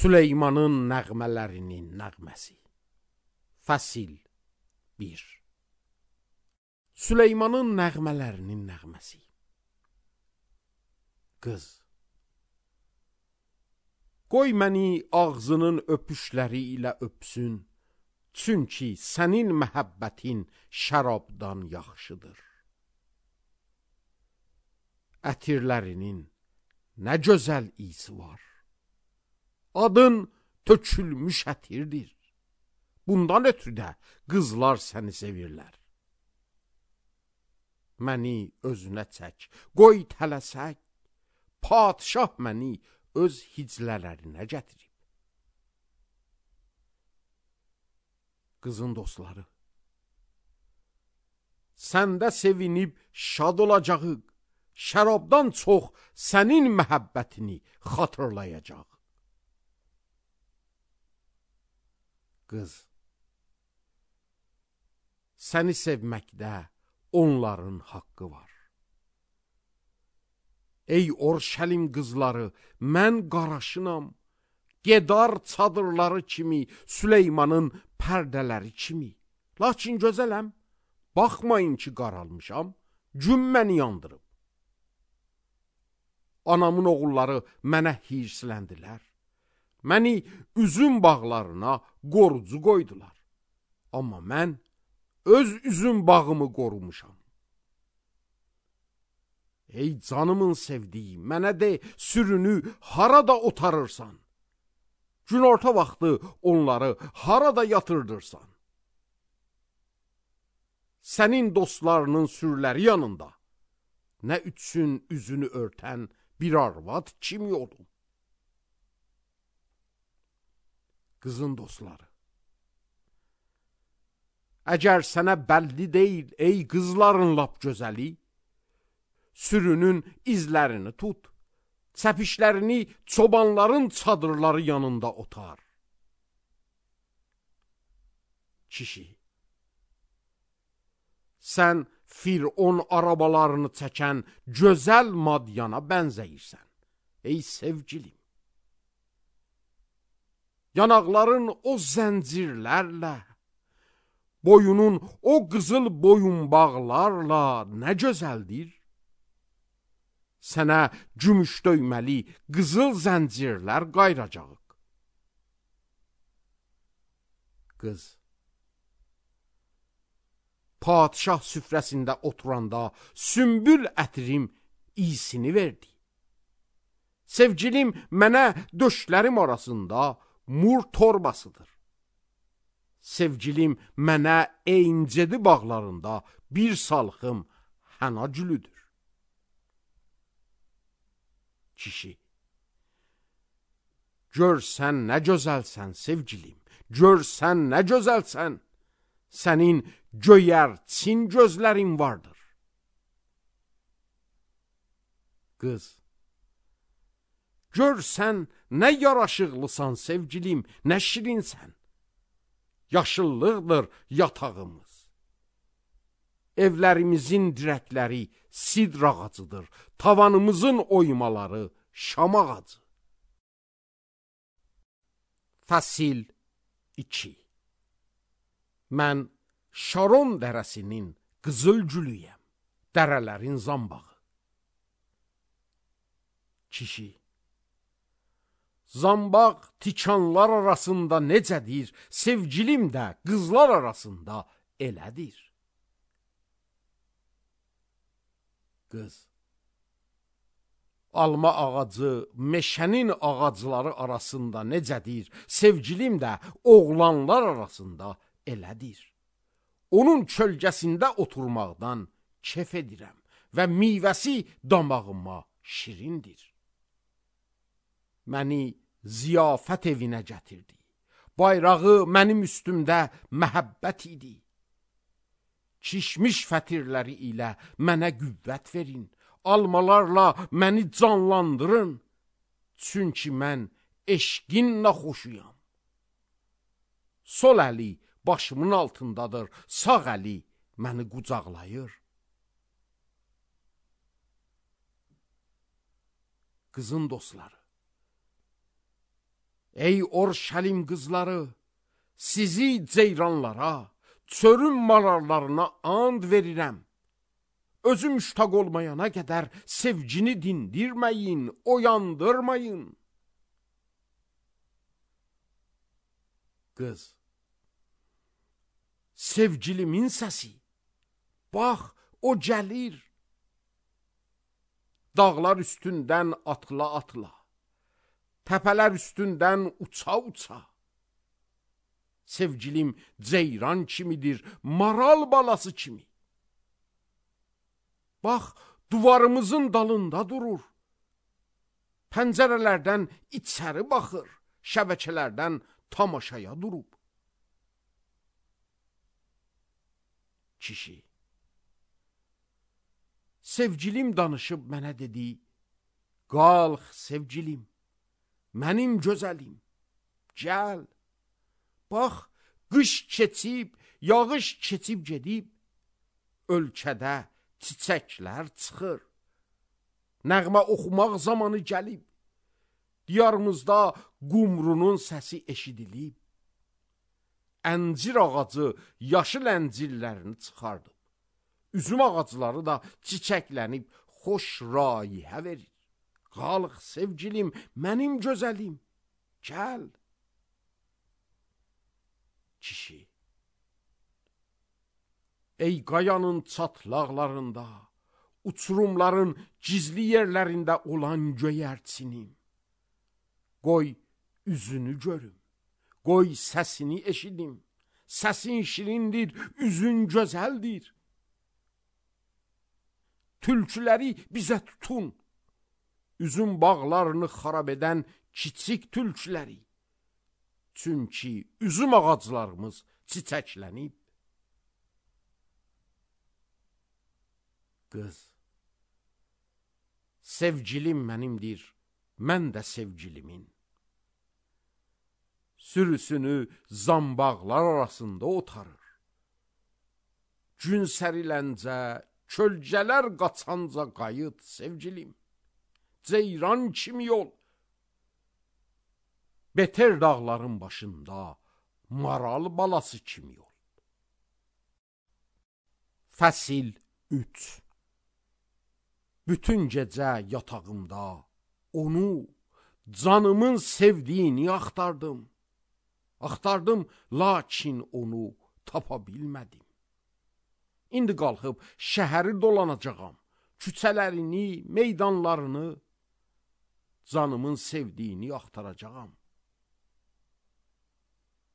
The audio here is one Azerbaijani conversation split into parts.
Süleymanın nəğmələrinin nəğməsi. Fəsil 1. Süleymanın nəğmələrinin nəğməsi. Qız, qoy məni ağzının öpüşləri ilə öpsün, çünki sənin məhəbbətin şərabdan yaxşıdır. Ətirlərinin nə gözəl isi var. Adın tökülmüş ətirdir. Bundan ötürü də qızlar səni sevirlər. Məni özünə çək, qoy tələsək, padişah məni öz hiclələrinə gətirib. Qızın dostları, səndə sevinib şad olacaq, şərabdan çox sənin məhəbbətini xatırlayacaq. Qız, səni sevməkdə onların haqqı var. Ey Orşəlim qızları, mən qaraşınam, Gedar çadırları kimi, Süleymanın pərdələri kimi. Lakin gözələm, baxmayın ki qaralmışam, gün məni yandırıb. Anamın oğulları mənə hirsləndilər. Məni üzüm bağlarına qorucu qoydular. Amma mən öz üzüm bağımı qorumuşam. Ey canımın sevdiyi, mənə de, sürünü harada otarırsan? Günorta vaxtı onları harada yatırdırsan? Sənin dostlarının sürüləri yanında nə üçün üzünü örtən bir arvad kimi olum? Qızın dostları, əgər sənə bəlli deyil, ey qızların lap gözəli, sürünün izlərini tut, çəpişlərini çobanların çadırları yanında otar. Kişi, sən Firon arabalarını çəkən gözəl Madyana bənzəyirsən, ey sevgilim. Yanaqların o zəncirlərlə, boyunun o qızıl boyunbağlarla nə gözəldir? Sənə gümüş döyməli qızıl zəncirlər qayracaq. Qız, padişah süfrəsində oturanda sümbül ətrim iyisini verdi. Sevgilim mənə döşlərim arasında mur torbasıdır. Sevgilim mənə eyncedi bağlarında bir salxım həna gülüdür. Kişi, gör sən nə gözəlsən sevgilim, gör sən nə gözəlsən, sənin göyərçin gözlərin vardır. Qız, gör sən nə yaraşıqlısan sevgilim, nə şirinsən. Yaşıllıqdır yatağımız. Evlərimizin dirəkləri sidr ağacıdır, tavanımızın oymaları şam ağacı. Fəsil 2. Mən Şaron dərəsinin qızıl gülüyəm, dərələrin zambağı. Kişi, zambaq tikanlar arasında necədir, sevgilim də qızlar arasında elədir. Qız, alma ağacı meşənin ağacları arasında necədir, sevgilim də oğlanlar arasında elədir. Onun kölgəsində oturmaqdan kef edirəm və meyvəsi damağıma şirindir. Məni ziyafət evinə gətirdi. Bayrağı mənim üstümdə məhəbbət idi. Kişmiş fətirləri ilə mənə qüvvət verin. Almalarla məni canlandırın. Çünki mən eşqin naxoşuyam. Sol əli başımın altındadır, sağ əli məni qucaqlayır. Qızın dostları, Ey Orşəlim qızları, sizi ceyranlara, çölün mararlarına and verirəm. Özü müştaq olmayana qədər sevgini dindirməyin, oyandırmayın. Qız, sevgilimin səsi, bax o gəlir. Dağlar üstündən atla-atla, təpələr üstündən uça-uça. Sevgilim ceyran kimidir, maral balası kimi. Bax, duvarımızın dalında durur. Pəncərələrdən içəri baxır, şəbəkələrdən tamaşaya durub. Kişi, sevgilim danışıb mənə dedi, qalx sevgilim, mənim gözəlim, gəl. Bax, qış keçib, yağış keçib gedib, ölkədə çiçəklər çıxır. Nəğmə oxumaq zamanı gəlib, diyarımızda qumrunun səsi eşidilib. Əncir ağacı yaşıl əncirlərini çıxardıb, üzüm ağacları da çiçəklənib, xoş rayihə verir. Qalx sevgilim, mənim gözəlim, gəl. Kişi, ey qayanın çatlaqlarında, uçurumların gizli yerlərində olan göyərçinim, qoy üzünü görüm, qoy səsini eşidim, səsin şirindir, üzün gözəldir. Tülküləri bizə tutun, üzüm bağlarını xarab edən kiçik tülküləri. Çünki üzüm ağaclarımız çiçəklənib. Qız, sevgilim mənimdir, mən də sevgilimin. Sürüsünü zambaqlar arasında otarır. Gün səriləncə, kölgələr qaçanca qayıt sevgilim. Ceyran kimi yol. Beter dağların başında, maral balası kimi yol. Fəsil 3. Bütün gecə yatağımda onu, canımın sevdiyini axtardım. Axtardım, lakin onu tapa bilmədim. İndi qalxıb şəhəri dolanacağam, küçələrini, meydanlarını, canımın sevdiyini axtaracağam.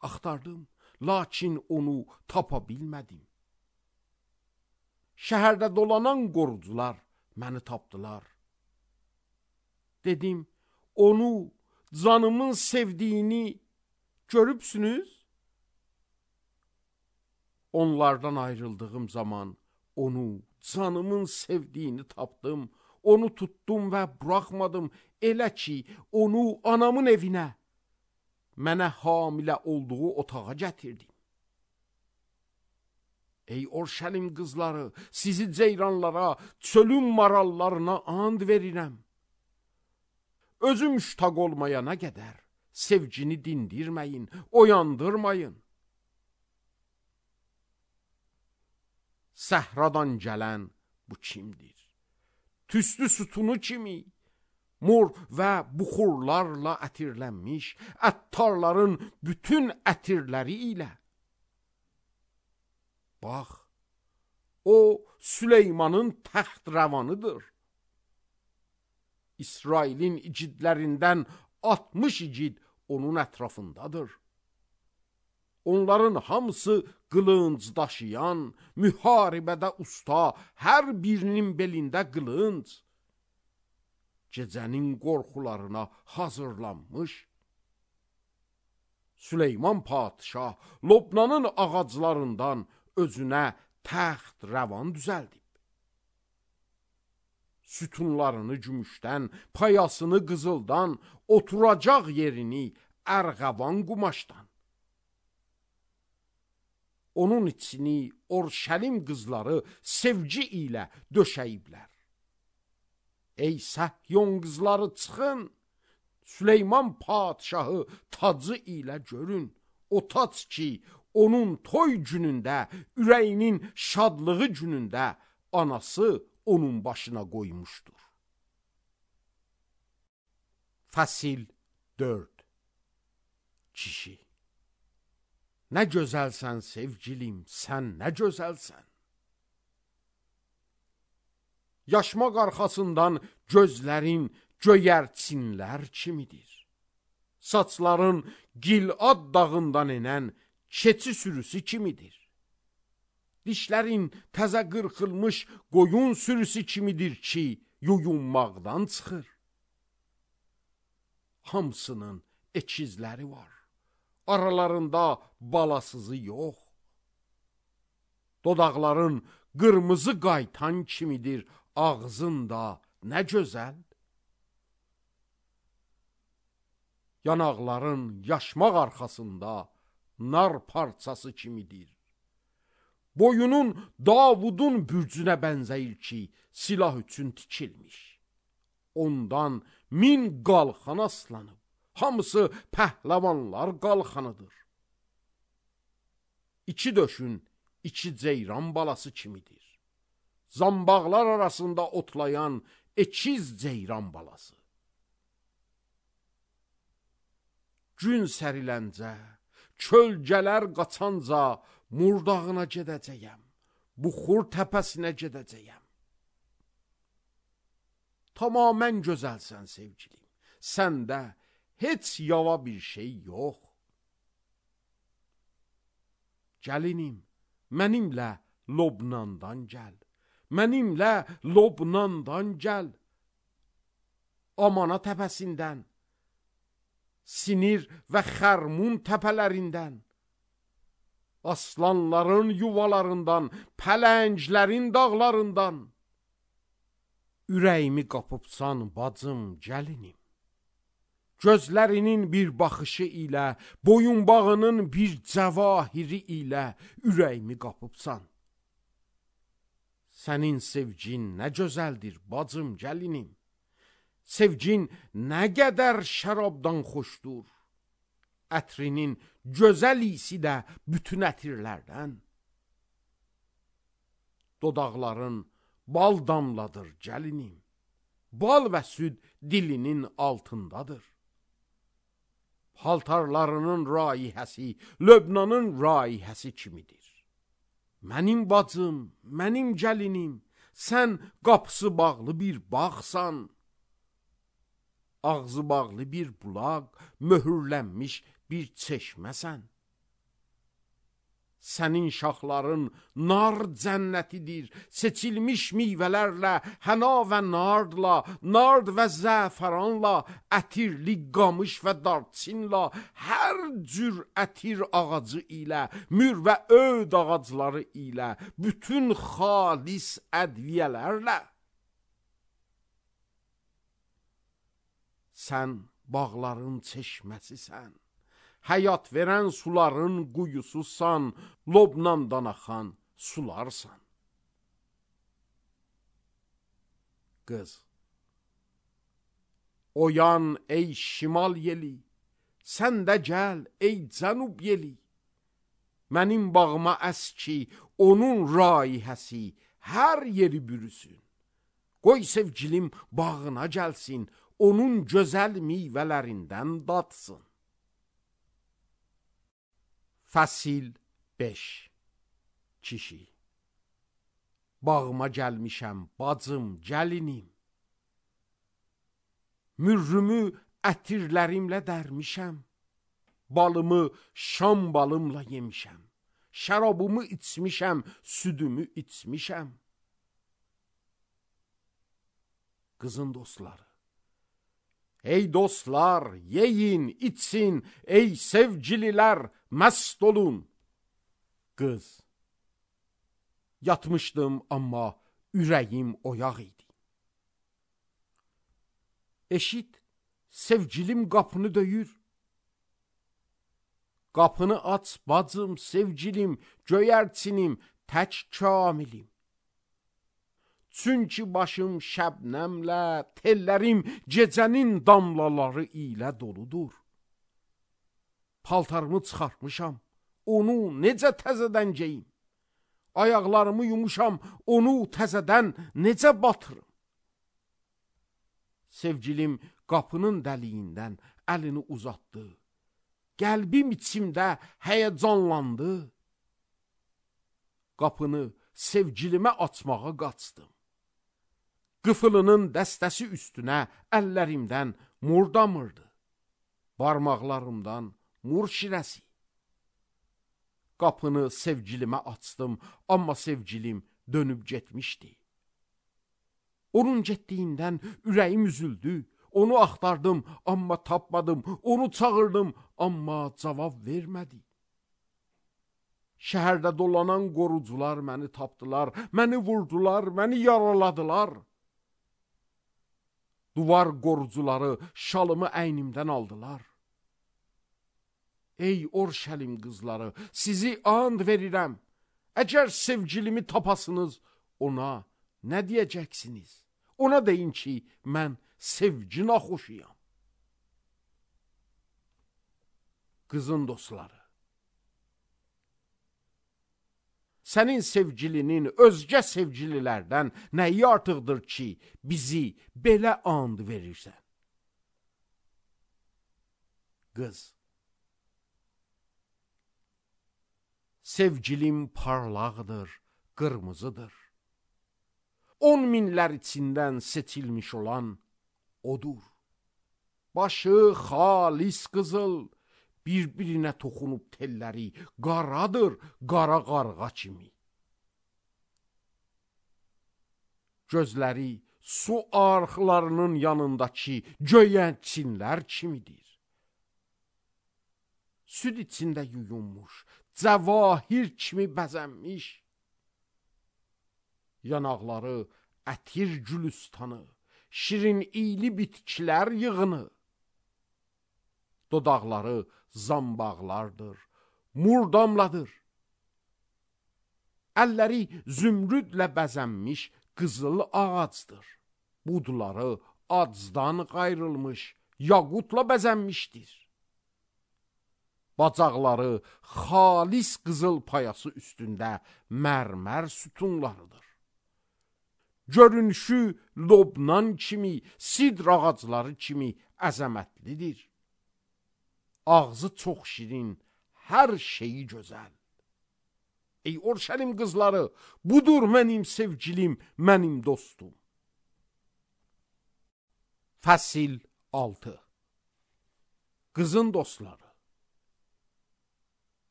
Axtardım, lakin onu tapa bilmədim. Şəhərdə dolanan qorucular məni tapdılar. Dedim, onu, canımın sevdiyini görübsünüz? Onlardan ayrıldığım zaman onu, canımın sevdiyini tapdım. Onu tuttum və buraxmadım, elə ki, onu anamın evinə, mənə hamilə olduğu otağa gətirdim. Ey Orşəlim qızları, sizi ceyranlara, çölün marallarına and verirəm. Özü müştaq olmayana qədər sevgini dindirməyin, oyandırmayın. Səhradan gələn bu kimdir? Tüstü sütunu kimi, mor və buxurlarla ətirlənmiş, əttarların bütün ətirləri ilə. Bax, o Süleymanın təxt rəvanıdır. İsrailin igidlərindən 60 igid onun ətrafındadır. Onların hamısı qılınc daşıyan, müharibədə usta, hər birinin belində qılınc. Gecənin qorxularına hazırlanmış. Süleyman padişah Lobnanın ağaclarından özünə təxt rəvan düzəldib. Sütunlarını gümüşdən, payasını qızıldan, oturacaq yerini ərğavan qumaşdan. Onun içini Orşəlim qızları sevgi ilə döşəyiblər. Ey Səhyon qızları çıxın, Süleyman padşahı tacı ilə görün. O tac ki, onun toy günündə, ürəyinin şadlığı günündə anası onun başına qoymuşdur. Fəsil 4. Kişi. Nə gözəlsən sevgilim, sən nə gözəlsən. Yaşmaq arxasından gözlərin göyərçinlər kimidir. Saçların Gilad dağından enən keçi sürüsü kimidir. Dişlərin təzə qırxılmış qoyun sürüsü kimidir ki, yuyunmaqdan çıxır. Hamısının ekizləri var. Aralarında balasızı yox. Dodaqların qırmızı qaytan kimidir, ağzın da nə gözəl. Yanaqların yaşmaq arxasında nar parçası kimidir. Boyunun Davudun bürcünə bənzəyir ki, silah üçün tikilmiş. Ondan 1000 qalxan aslanıb. Hamısı pəhləvanlar qalxanıdır. İki döşün, iki ceyran balası kimidir. Zambaqlar arasında otlayan ekiz ceyran balası. Gün səriləncə, kölgələr qaçanca murdağına gedəcəyəm, buxur təpəsinə gedəcəyəm. Tamamən gözəlsən sevgilim, səndə heç yava bir şey yox. Gəlinim, mənimlə Lobnandan gəl, mənimlə Lobnandan gəl. Amana təpəsindən, Sinir və Xərmun təpələrindən, aslanların yuvalarından, pələnglərin dağlarından. Ürəyimi qapıbsan bacım, gəlinim. Gözlərinin bir baxışı ilə, boyunbağının bir cəvahiri ilə ürəyimi qapıbsan. Sənin sevgin nə gözəldir bacım, gəlinim. Sevgin nə qədər şərabdan xoşdur. Ətrinin gözəl isi də bütün ətirlərdən. Dodaqların bal damladır gəlinim. Bal və süd dilinin altındadır. Paltarlarının raihəsi Löbnanın raihəsi kimidir. Mənim bacım, mənim gəlinim, sən qapısı bağlı bir bağsan. Ağzı bağlı bir bulaq, möhürlənmiş bir çeşməsən. Sənin şaxların nar cənnətidir, seçilmiş meyvələrlə, həna və nardla, nard və zəfəranla, ətirli qamış və darçinla, hər cür ətir ağacı ilə, mür və öd ağacları ilə, bütün xalis ədviyələrlə. Sən bağların çeşməsisən, həyat verən suların quyususan, Lobnandan axan sularsan. Qız. Oyan ey şimal yeli, sən də gəl ey cənub yeli. Mənim bağıma əs ki, onun raihəsi hər yeri bürüsün. Qoy sevgilim bağına gəlsin, onun gözəl meyvələrindən datsın. Fəsil 5. Kişi. Bağıma gəlmişəm, bacım, gəlinim. Mürrümü ətirlərimlə dərmişəm. Balımı şam balımla yemişəm. Şərabımı içmişəm, südümü içmişəm. Qızın dostları. Ey dostlar, yeyin, içsin, ey sevgililər, məst olun. Qız. Yatmışdım, amma ürəyim oyaq idi. Eşit, sevgilim qapını döyür. Qapını aç, bacım, sevgilim, göyərçinim, tək kamilim. Çünki başım şəbnəmlə, tellərim gecənin damlaları ilə doludur. Paltarımı çıxartmışam, onu necə təzədən geyim? Ayaqlarımı yumuşam, onu təzədən necə batırım? Sevgilim qapının dəliyindən əlini uzatdı. Qəlbim içimdə həyəcanlandı. Qapını sevgilimə açmağa qaçdım. Qıfılının dəstəsi üstünə əllərimdən mur damırdı. Barmaqlarımdan mur şirəsi. Qapını sevgilimə açdım, amma sevgilim dönüb getmişdi. Onun getdiyindən ürəyim üzüldü. Onu axtardım, amma tapmadım. Onu çağırdım, amma cavab vermədi. Şəhərdə dolanan qorucular məni tapdılar, məni vurdular, məni yaraladılar. Duvar qorucuları şalımı əynimdən aldılar. Ey Orşəlim qızları, sizi and verirəm. Əgər sevgilimi tapasınız, ona nə deyəcəksiniz? Ona deyin ki, mən sevgi naxoşuyam. Qızın dostları, sənin sevgilinin özgə sevgililərdən nəyi artıqdır ki, bizi belə and verirsən? Qız, sevgilim parlaqdır, qırmızıdır. 10 minlər içindən seçilmiş olan odur. Başı xalis qızıl, bir-birinə toxunub telləri qaradır, qara qarğa kimi. Gözləri su arxlarının yanındakı göyənçinlər kimidir. Süd içində yuyunmuş, cəvahir kimi bəzənmiş. Yanaqları ətir gülüstanı, şirin iyli bitkilər yığını. Dodaqları zambaqlardır, murdamladır. Əlləri zümrüdlə bəzənmiş qızıl ağacdır. Budları acdan qayrılmış, yaqutla bəzənmişdir. Bacaqları xalis qızıl payası üstündə mərmər sütunlarıdır. Görünüşü Lobnan kimi, sidr ağacları kimi əzəmətlidir. Ağzı çox şirin, hər şeyi gözəl. Ey Orşəlim qızları, budur mənim sevgilim, mənim dostum. Fəsil 6. Qızın dostları.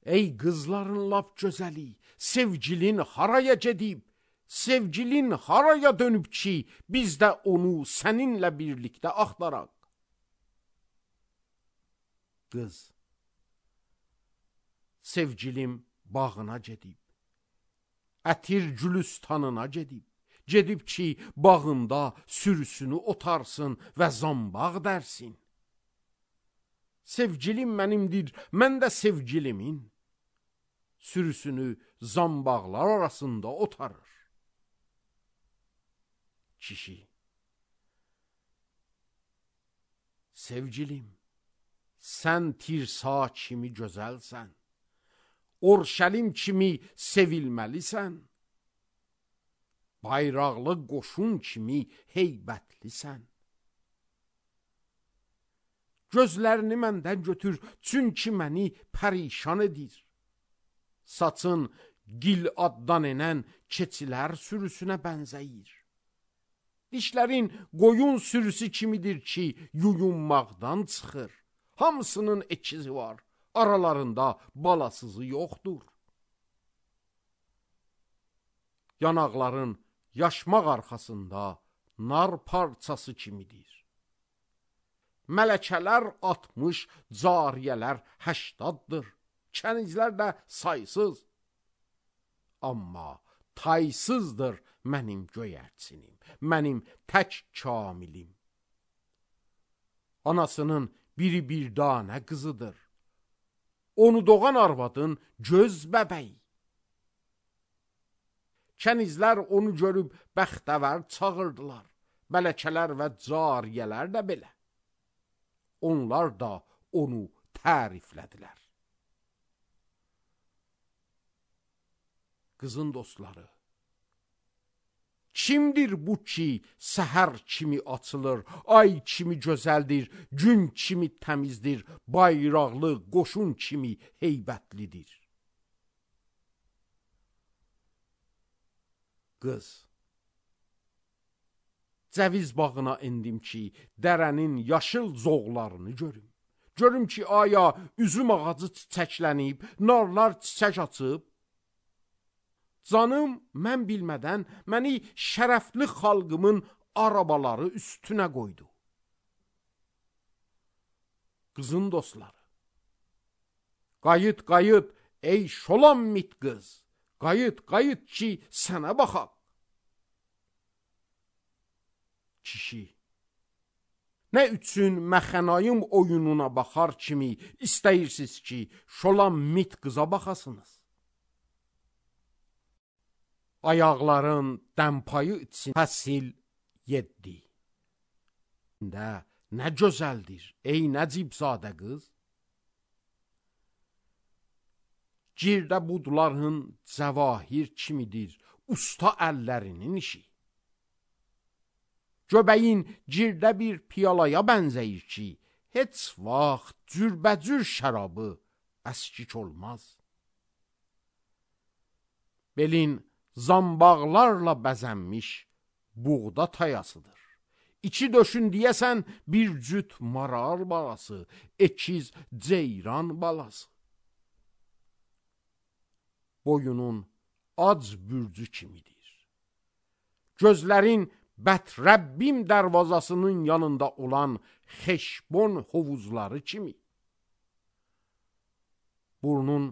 Ey qızların lap gözəli, sevgilin haraya gedib, sevgilin haraya dönüb ki, biz də onu səninlə birlikdə axtaraq? Qız, sevgilim bağına gedib, ətir gülüstanına gedib, gedib ki, bağında sürüsünü otarsın və zambaq dərsin. Sevgilim mənimdir, mən də sevgilimin. Sürüsünü zambaqlar arasında otarır. Kişi, sevgilim, sən tirsa kimi gözəlsən, Orşəlim kimi sevilməlisən, bayraqlı qoşun kimi heybətlisən. Gözlərini məndən götür, çünki məni pərişan edir. Saçın Giladdan enən keçilər sürüsünə bənzəyir. Dişlərin qoyun sürüsü kimidir ki, yuyunmaqdan çıxır. Hamısının ikizi var, aralarında balasızı yoxdur. Yanaqların yaşmaq arxasında nar parçası kimidir. Mələkələr 60, cariyələr 80'dır. Kənizlər də saysız. Amma taysızdır mənim göyərçinim, mənim tək kamilim. Anasının biri bir danə qızıdır. Onu doğan arvadın göz bəbəyi. Kənizlər onu görüb bəxtəvər çağırdılar. Mələkələr və cariyələr də belə. Onlar da onu təriflədilər. Qızın dostları, kimdir bu ki, səhər kimi açılır, ay kimi gözəldir, gün kimi təmizdir, bayraqlı, qoşun kimi heybətlidir? Qız, cəviz bağına endim ki, dərənin yaşıl zoğlarını görüm. Görüm ki, aya üzüm ağacı çiçəklənib, narlar çiçək açıb. Canım, mən bilmədən məni şərəfli xalqımın arabaları üstünə qoydu. Qızın dostları, qayıt, qayıt, ey Şolamit qız, qayıt, qayıt ki, sənə baxaq. Kişi, nə üçün məxənayım oyununa baxar kimi istəyirsiniz ki, Şolamit qıza baxasınız? Ayaqların dəmpayı için fəsil 7. Nə gözəldir, ey Nəcibzadə qız. Girdə budların cəvahir kimidir, usta əllərinin işi. Göbəyin girdə bir piyalaya bənzəyir ki, heç vaxt cürbəcür şərabı əskik olmaz. Belin zambaqlarla bəzənmiş buğda tayasıdır. İçi döşün deyəsən bir cüt maral balası, ekiz ceyran balası. Boyunun ac bürcü kimidir. Gözlərin Bətrəbbim dərvazasının yanında olan Xeşbon hovuzları kimi. Burnun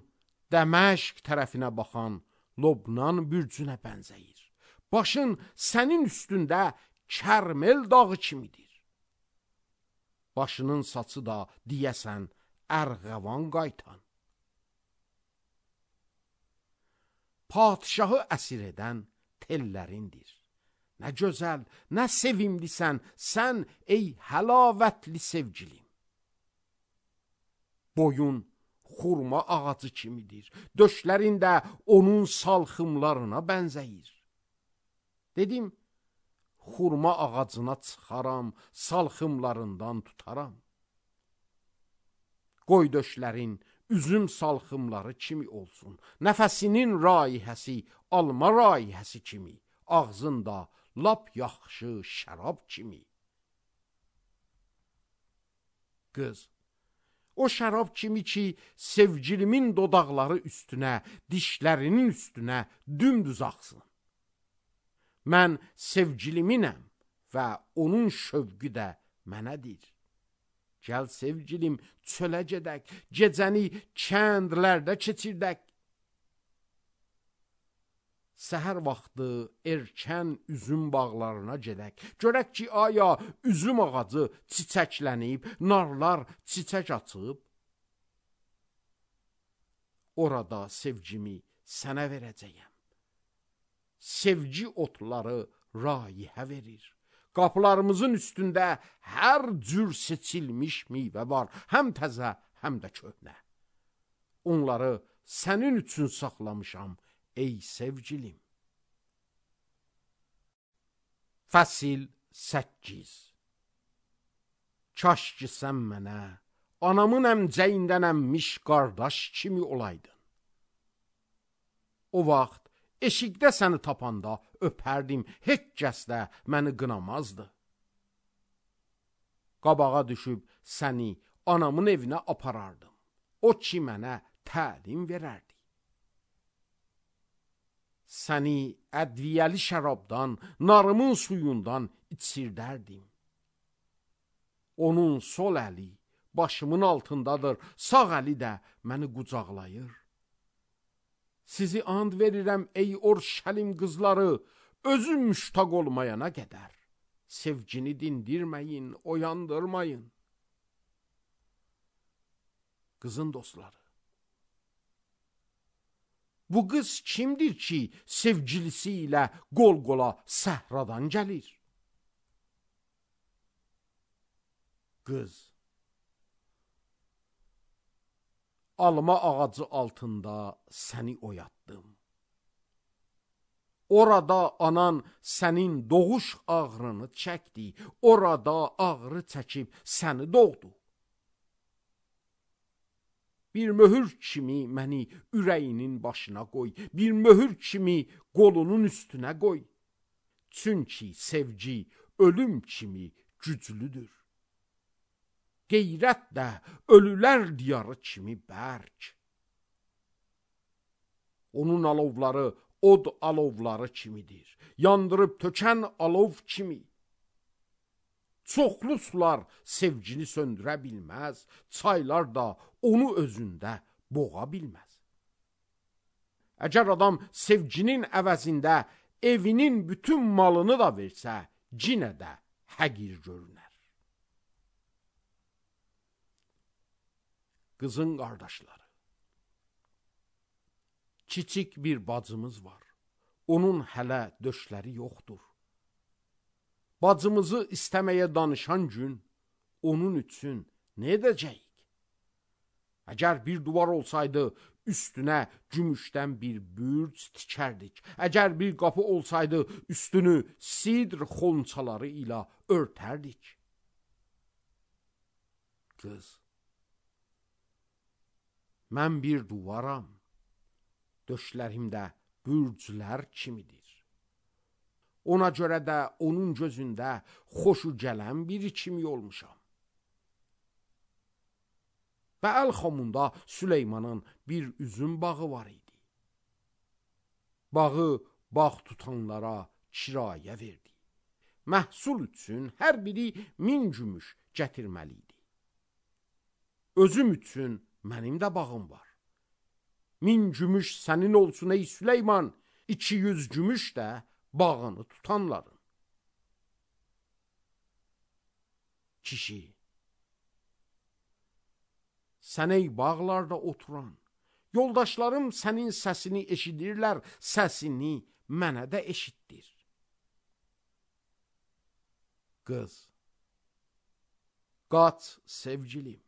Dəməşq tərəfinə baxan Lobnan bürcünə bənzəyir. Başın sənin üstündə Kərmel dağı kimidir. Başının saçı da deyəsən ərğəvan qaytan. Padişahı əsir edən tellərindir. Nə gözəl, nə sevimlisən sən ey həlavətli sevgilim. Boyun xurma ağacı kimidir. Döşlərin də onun salxımlarına bənzəyir. Dedim, xurma ağacına çıxaram, salxımlarından tutaram. Qoy döşlərin üzüm salxımları kimi olsun. Nəfəsinin raihəsi alma raihəsi kimi, ağzında lap yaxşı şərab kimi. Qız, o şərab kimi ki, sevgilimin dodaqları üstünə, dişlərinin üstünə dümdüz axsın. Mən sevgiliminəm və onun şövqü də mənədir. Gəl sevgilim, çölə gedək, gecəni kəndlərdə keçirdək. Səhər vaxtı erkən üzüm bağlarına gedək. Görək ki, aya üzüm ağacı çiçəklənib, narlar çiçək açıb. Orada sevgimi sənə verəcəyəm. Sevgi otları raihə verir. Qapılarımızın üstündə hər cür seçilmiş meyvə var, həm təzə, həm də köhnə. Onları sənin üçün saxlamışam, ey sevgilim. Fəsil 8. Kaş ki sən mənə anamın əmcəyindən əmmiş qardaş kimi olaydın. O vaxt eşikdə səni tapanda öpərdim, heç kəs də məni qınamazdı. Qabağa düşüb səni anamın evinə aparardım. O ki mənə təlim verərdi. Səni ədviyəli şərabdan, narımın suyundan içirdərdim. Onun sol əli başımın altındadır, sağ əli də məni qucaqlayır. Sizi and verirəm ey Orşəlim qızları, özüm müştaq olmayana qədər. Sevgini dindirməyin, oyandırmayın. Qızın dostları, Bu qız kimdir ki, sevgilisi ilə qol-qola səhradan gəlir? Qız: alma ağacı altında səni oyatdım. Orada anan sənin doğuş ağrını çəkdi, orada ağrı çəkib səni doğdu. Bir möhür kimi məni ürəyinin başına qoy, bir möhür kimi qolunun üstünə qoy. Çünki sevgi ölüm kimi güclüdür. Qeyrət də ölülər diyarı kimi bərk. Onun alovları od alovları kimidir, yandırıb tökən alov kimi. Çoxlu sular sevgini söndürə bilməz, çaylar da onu özündə boğa bilməz. Əgər adam sevginin əvəzində evinin bütün malını da versə, cinə də həqir görünər. Qızın qardaşları: kiçik bir bacımız var, onun hələ döşləri yoxdur. Bacımızı istəməyə danışan gün onun üçün nə edəcəyik? Əgər bir duvar olsaydı, üstünə gümüşdən bir bürc tikərdik. Əgər bir qapı olsaydı, üstünü sidr xonçaları ilə örtərdik. Qız: mən bir duvaram, döşlərimdə bürclər kimidir. Ona görə də onun gözündə xoşu gələn biri kimi olmuşam. Və Əl-Xamunda Süleymanın bir üzüm bağı var idi. Bağı bağ tutanlara kirayə verdi. Məhsul üçün hər biri 1000 gümüş gətirməli idi. Özüm üçün mənim də bağım var. 1000 gümüş sənin olsun ey Süleyman, 200 gümüş də bağını tutanların. Kişi: sən ey bağlarda oturan, yoldaşlarım sənin səsini eşidirlər, səsini mənə də eşitdir. Qız: qaç sevgilim,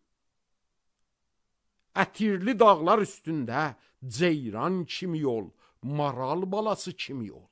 ətirli dağlar üstündə ceyran kimi ol, maral balası kimi ol.